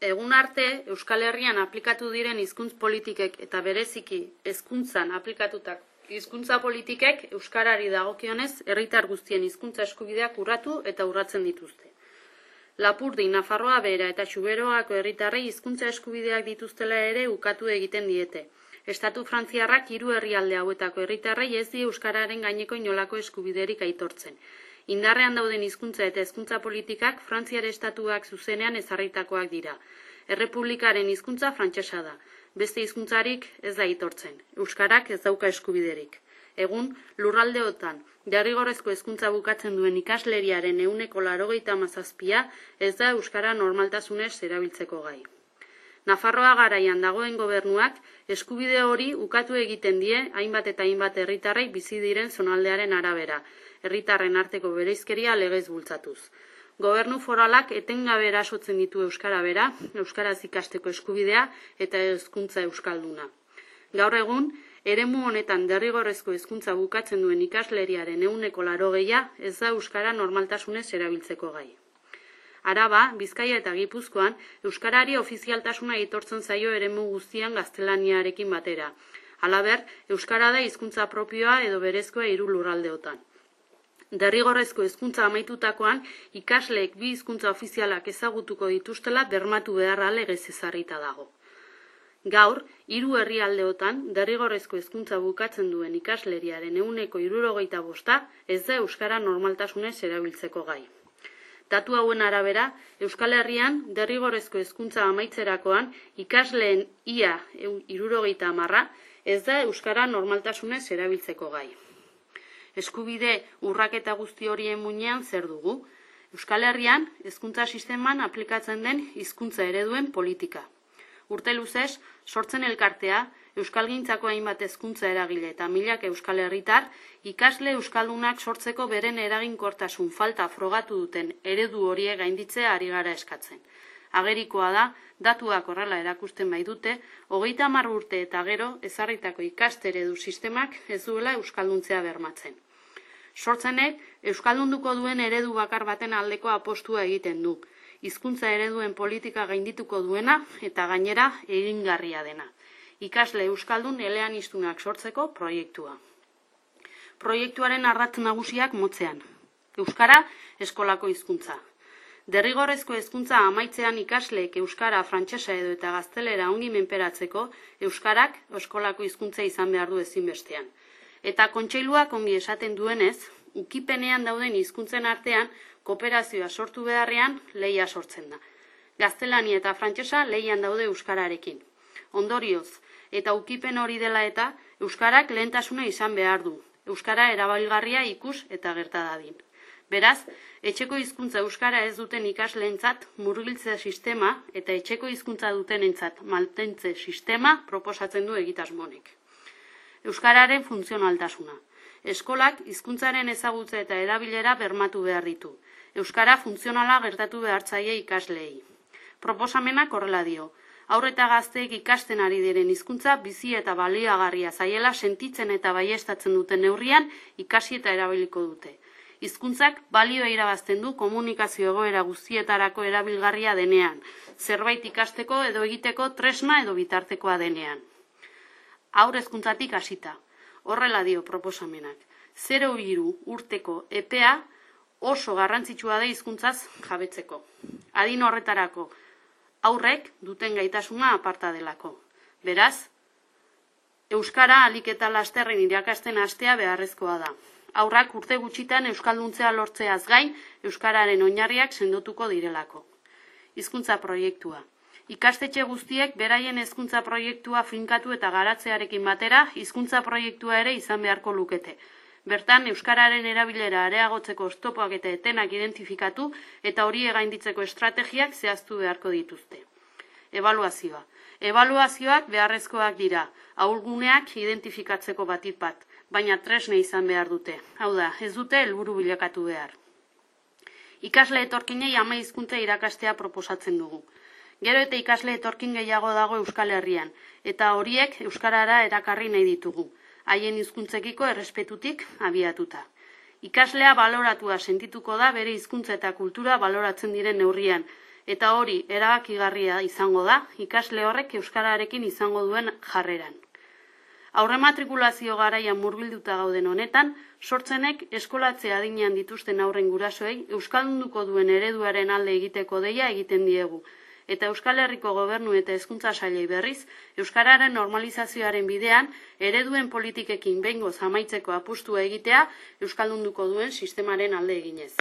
Egun arte, Euskal Herrian aplikatu diren hizkuntz politikek eta bereziki hezkuntzan aplikatutak hizkuntza politikek euskarari dagokionez herritar guztien hizkuntza eskubideak urratu eta urratzen dituzte. Lapurdi, Nafarroa Behera eta Xuberoako herritarrei hizkuntza eskubideak dituztela ere ukatu egiten diete. Estatu frantziarrak 3 herrialde hauetako herritarrei ez die euskararen gaineko inolako eskubiderik aitortzen. Indarrean dauden hizkuntza eta hezkuntza politikak Frantziar estatuak zuzenean ezarritakoak dira. Errepublikaren hizkuntza frantsesa da. Beste hizkuntzarik ez da aitortzen. Euskarak ez dauka eskubiderik. Egun, lurraldeotan derrigorrezko hezkuntza bukatzen duen ikasleriaren 87% ez da euskara normaltasunez erabiltzeko gai. Nafarroa garaian dagoen gobernuak eskubide hori ukatu egiten die hainbat eta hainbat herritarrei bizi diren zonaldearen arabera, herritarren arteko bereizkeria legez bultzatuz. Gobernu foralak etengabe erasotzen ditu euskara bera, euskaraz ikasteko eskubidea eta hezkuntza euskalduna. Gaur egun, eremu honetan derrigorrezko hezkuntza bukatzen duen ikasleriaren 80% ez da euskara normaltasunez erabiltzeko gai. Araba, Bizkaia eta Gipuzkoan, euskarari ofizialtasuna aitortzen zaio eremu guztian gaztelaniarekin batera. Halaber, euskara da hizkuntza propioa edo berezkoa 3 lurraldeotan. Derrigorrezko hezkuntza amaitutakoan, ikasleek 2 hizkuntza ofizialak ezagutuko dituztela bermatu beharra legez ezarrita dago. Gaur, 3 herrialdeotan derrigorrezko hezkuntza bukatzen duen ikasleriaren 75% ez da euskara normaltasunez erabiltzeko gai. Datu hauen arabera, Euskal Herrian derrigorrezko hezkuntza amaitzerakoan ikasleen ia 70% ez da euskara normaltasunez erabiltzeko gai. Eskubide urraketa guzti horien muinean zer dugu? Euskal Herrian hezkuntza sisteman aplikatzen den hizkuntza ereduen politika. Urte luzez, sortzen elkartea, euskalgintzako hainbat hezkuntza eragile eta milak euskal herritar, ikasle euskaldunak sortzeko beren eraginkortasun falta frogatu duten eredu horiek gainditzea ari gara eskatzen. Agerikoa da, datuak horrela erakusten baitute, 30 urte eta gero ezarritako ikasteredu sistemak ez duela euskalduntzea bermatzen. Sortzenek, euskaldunduko duen eredu bakar baten aldeko apostua egiten du. Hizkuntza ereduen politika gaindituko duena eta gainera egingarria dena. Ikasle euskaldun eleaniztunak sortzeko proiektua. Proiektuaren ardatz nagusiak motzean. Euskara eskolako hizkuntza. Derrigorrezko hezkuntza amaitzean ikasleek euskara, frantsesa edo eta gaztelera ongi menperatzeko, euskarak eskolako hizkuntza izan behar du ezinbestean. Eta kontseiluak ongi esaten duenez, ukipenean dauden hizkuntzen artean kooperazioa sortu beharrean lehia sortzen da. Gaztelania eta frantsesa lehian daude euskararekin. Ondorioz, eta ukipen hori dela eta euskarak lehentasuna izan behar du. Euskara erabilgarria ikus eta gerta dadin. Beraz, etxeko hizkuntza euskara ez duten ikasleentzat murgiltze sistema eta etxeko hizkuntza dutenentzat mantentze sistema proposatzen du egitasmonek. Euskararen funtzionaltasuna. Eskolak hizkuntzaren ezagutza eta erabilera bermatu behar ditu. Euskara funtzionala gertatu behartzaile ikasleei. Proposamenak horrela dio. Haur eta gazteek ikasten ari diren hizkuntza bizi eta baliagarria zaiela sentitzen eta baieztatzen duten neurrian ikasi eta erabiliko dute. Hizkuntzak balioa irabazten du komunikazio egoera guztietarako erabilgarria denean, zerbait ikasteko edo egiteko tresna edo bitartekoa denean. Haur hezkuntzatik hasita. Horrela dio proposamenak. 0-3 urteko epea oso garrantzitsua da hizkuntzaz jabetzeko. Adin horretarako haurrek duten gaitasuna aparta delako. Beraz, euskara ahalik eta lasterren irakasten hastea beharrezkoa da. Haurrak urte gutxitan euskalduntzea lortzeaz gain, euskararen oinarriak sendotuko direlako. Hizkuntza proiektua. Ikastetxe guztiek beraien hezkuntza proiektua finkatu eta garatzearekin batera, hizkuntza proiektua ere izan beharko lukete. Bertan, euskararen erabilera areagotzeko oztopoak eta etenak identifikatu eta horiek gainditzeko estrategiak zehaztu beharko dituzte. Ebaluazioa. Ebaluazioak beharrezkoak dira, ahulguneak identifikatzeko batit bat, baina tresne izan behar dute. Hau da, ez dute helburu bilakatu behar. Ikasle etorkinei ama hizkuntza irakastea proposatzen dugu. Gero eta ikasle etorkin gehiago dago Euskal Herrian, eta horiek euskarara erakarri nahi ditugu, haien hizkuntzekiko errespetutik abiatuta. Ikaslea baloratua sentituko da bere hizkuntza eta kultura baloratzen diren neurrian, eta hori erabakigarria izango da ikasle horrek euskararekin izango duen jarreran. Aurrematrikulazio garaian murgilduta gauden honetan, sortzenek eskolatze adinean dituzten haurren gurasoei euskaldunduko duen ereduaren alde egiteko deia egiten diegu, eta Euskal Herriko Gobernu eta Hezkuntza Sailei berriz, euskararen normalizazioaren bidean, ereduen politikekin behingoz amaitzeko apustua egitea euskaldunduko duen sistemaren alde eginez.